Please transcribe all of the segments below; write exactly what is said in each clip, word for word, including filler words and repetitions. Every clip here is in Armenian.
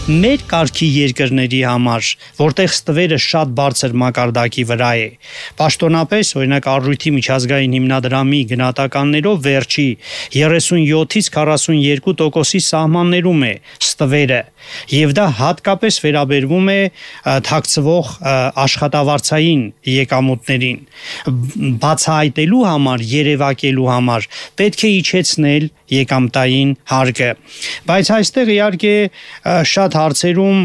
Մեր կարգի երկրների համար, որտեղ ստվերը շատ բարձր մակարդակի վրա է, պաշտոնապես, օրինակ Առույթի միջազգային հիմնադրամի գնահատականներով վերջի երեսունյոթից քառասունյոթ տոկոսի սահմաններում է ստվերը, եւ դա հատկապես վերաբերվում է թաքցվող աշխատավարձային եկամուտներին, բացահայտելու համար, երևակելու համար պետք է իջեցնել եկամտային հարկը, բայց այստեղ իհարկե շատ հարցերում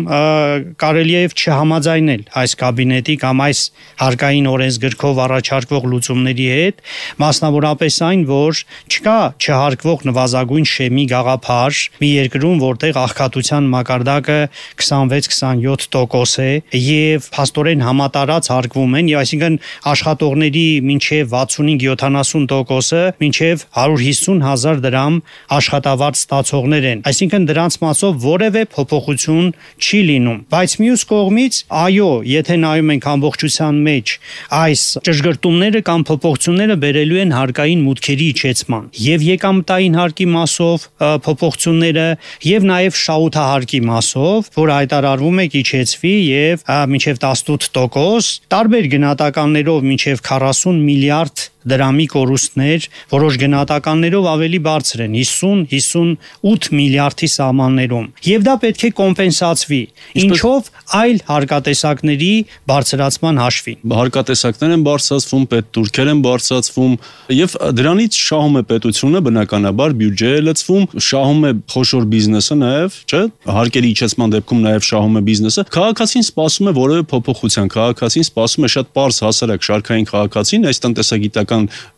կարելի է չհամաձայնել այս կաբինետի կամ այս հարկային օրենսգրքով առաջարկվող լուծումների հետ, մասնավորապես այն, որ չկա չհարկվող նվազագույն շեմի գաղափար մի երկրում, որտեղ աղքատության մակարդակը քսանվեց քսանյոթ տոկոս է եւ փաստորեն համատարած հարկվում են, եւ այսինքն աշխատողների մինչեւ վաթսունհինգ յոթանասուն տոկոսը մինչեւ հարյուր հիսուն հազար դրամ աշխատավարձ ստացողներ են, այսինքն դրանց մասով որևէ փոփոխություն չի լինում, բայց մյուս կողմից, այո, եթե նայում ենք ամբողջության մեջ, այս ճշգրտումները կամ փոփոխությունները բերելու են հարկային մուտքերի իջեցման եւ եկամտային հարկի մասով փոփոխությունները եւ նաեւ շահութահարկի մասով, որ հայտարարվում է իջեցվի եւ մինչեւ տասնութ տոկոս, տարբեր գնահատականներով մինչեւ քառասուն միլիարդ դրամի կորուստներ, որոշ գնահատականներով ավելի բարձր են, հիսուն հիսունութ միլիարդի սահմաններում, եւ դա պետք է կոմպենսացվի, ինչով այլ հարկատեսակների բարձրացման հաշվին։ Հարկատեսակներ են բարձրացվում, պետտուրքեր են բարձրացվում, եւ դրանից շահում է պետությունը, բնականաբար բյուջե է լցվում, շահում է խոշոր բիզնեսը նաեւ, չէ՞, հարկերի իջեցման դեպքում նաեւ շահում է բիզնեսը։ Քաղաքացին սպասում է որևէ փոփոխության, քաղաքացին սպասում է շատ պարզ հասարակ շարքային քաղաքացին, այս տնտեսագիտական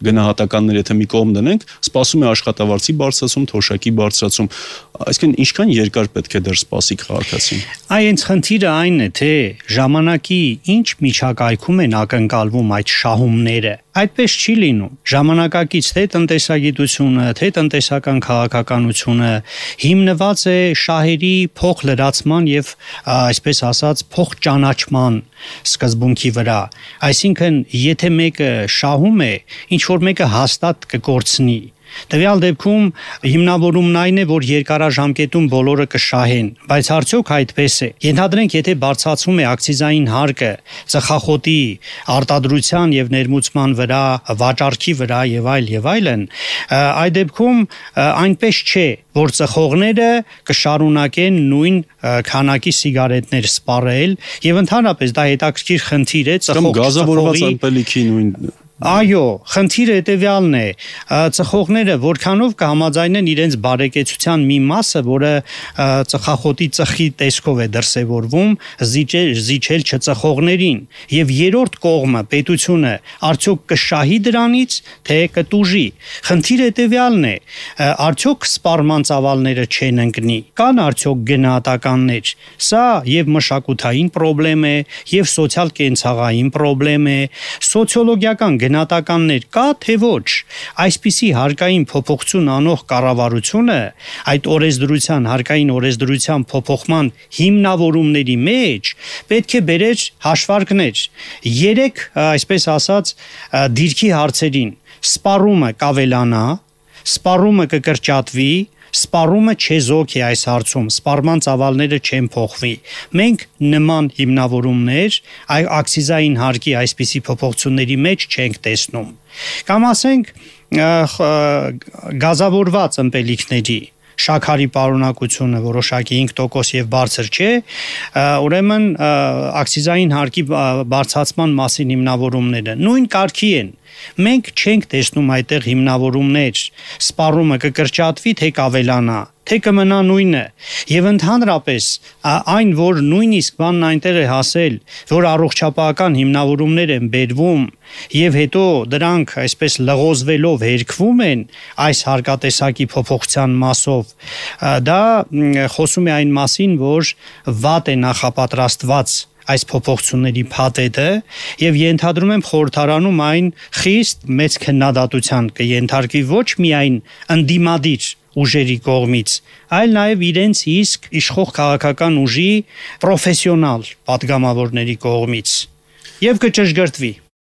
գնահատականներ եթե մի կողմ դնենք, սպասում է աշխատավարձի բարձրացում, թոշակի բարձրացում, այսինքն ինչքան երկար պետք է դեռ սպասի քաղաքացին։ Այս խնդիրը այն է, թե ժամանակի ինչ միջակայքում են ակնկալվում այդ շահումները, այդպես չի լինում, ժամանակակից թե տնտեսագիտությունը, թե տնտեսական քաղաքականությունը հիմնված է շահերի փոխլրացման եւ այսպես ասած փոխճանաչման սկզբունքի վրա, այսինքն եթե մեկը շահում է, ինչ որ մեկը հաստատ կկորցնի, տվյալ դեպքում հիմնավորումն այն է, որ երկարաժամկետում բոլորը կշահեն, բայց արդյոք այդպես է։ Ենթադրենք, եթե բարձրացում է ակցիզային հարկը ծխախոտի արտադրության եւ ներմուծման վրա, վաճառքի վրա եւ այլ եւ այլն, այդ դեպքում այնպես չէ, որ ծխողները կշարունակեն նույն քանակի սիգարետներ սպառել եւ ընդհանրապես դա հետաքրքիր խնդիր է ծխող գազավորված ըմպելիքի նույն Այո, խնդիրը հետևյալն է, ծխողները որքանով կհամաձայնեն իրենց բարեկեցության մի մասը, որը ծխախոտի ծխի տեսքով է դրսևորվում, զիջել, զիջել չծխողներին, եւ երրորդ կողմը, պետությունը, արդյոք կշահի դրանից, թե կտուժի։ Խնդիրը հետևյալն է, արդյոք սպառման ծավալները չեն ընկնի, կան արդյոք գնահատականներ։ Սա եւ մշակութային խնդրեմ է, եւ սոցիալ-կենցաղային խնդրեմ է, սոցիոլոգիական գնահատականներ կա, թե ոչ, այսպիսի հարկային փոփոխություն անող կառավարությունը այդ օրենսդրության, հարկային օրենսդրության փոփոխման հիմնավորումների մեջ պետք է բերեր հաշվարկներ։ Երեք, այսպես ասած, դիրքի հարցերին սպառումը կավելանա, սպառումը կկրճատվի, սպառումը չեզոք է այս հարցում, սպառման ծավալները չեն փոխվի։ Մենք նման հիմնավորումներ այ ակցիզային հարկի այսպիսի փոփոխությունների մեջ չենք տեսնում։ Կամ ասենք գազավորված ըմպելիքների շաքարի պարունակությունը որոշակի հինգ տոկոս եւ բարձր չէ, ուրեմն ակցիզային հարկի բարձրացման մասին հիմնավորումները նույն կարգի են։ Մենք չենք տեսնում այդտեղ հիմնավորումներ, սպառումը կկրճատվի, թե կավելանա, թե կմնա նույնը, եւ ընդհանրապես այն, որ նույնիսկ բանն այնտեղ է հասել, որ առողջապահական հիմնավորումներ են բերվում եւ հետո դրանք այսպես լղոզվելով հերկվում են այս հարկատեսակի փոփոխության մասով, դա խոսում է այն մասին, որ վատ է նախապատրաստված այս փոփոխությունների փաթեթը եւ ենթադրում եմ խորհրդարանում այն խիստ մեծ քննադատության կենթարկվի ոչ միայն ընդդիմադիր ուժերի կողմից, այլ նաև իրենց իսկ իշխող քաղաքական ուժի պրոֆեսիոնալ պատգամավորների կողմից եւ կճշգրտվի։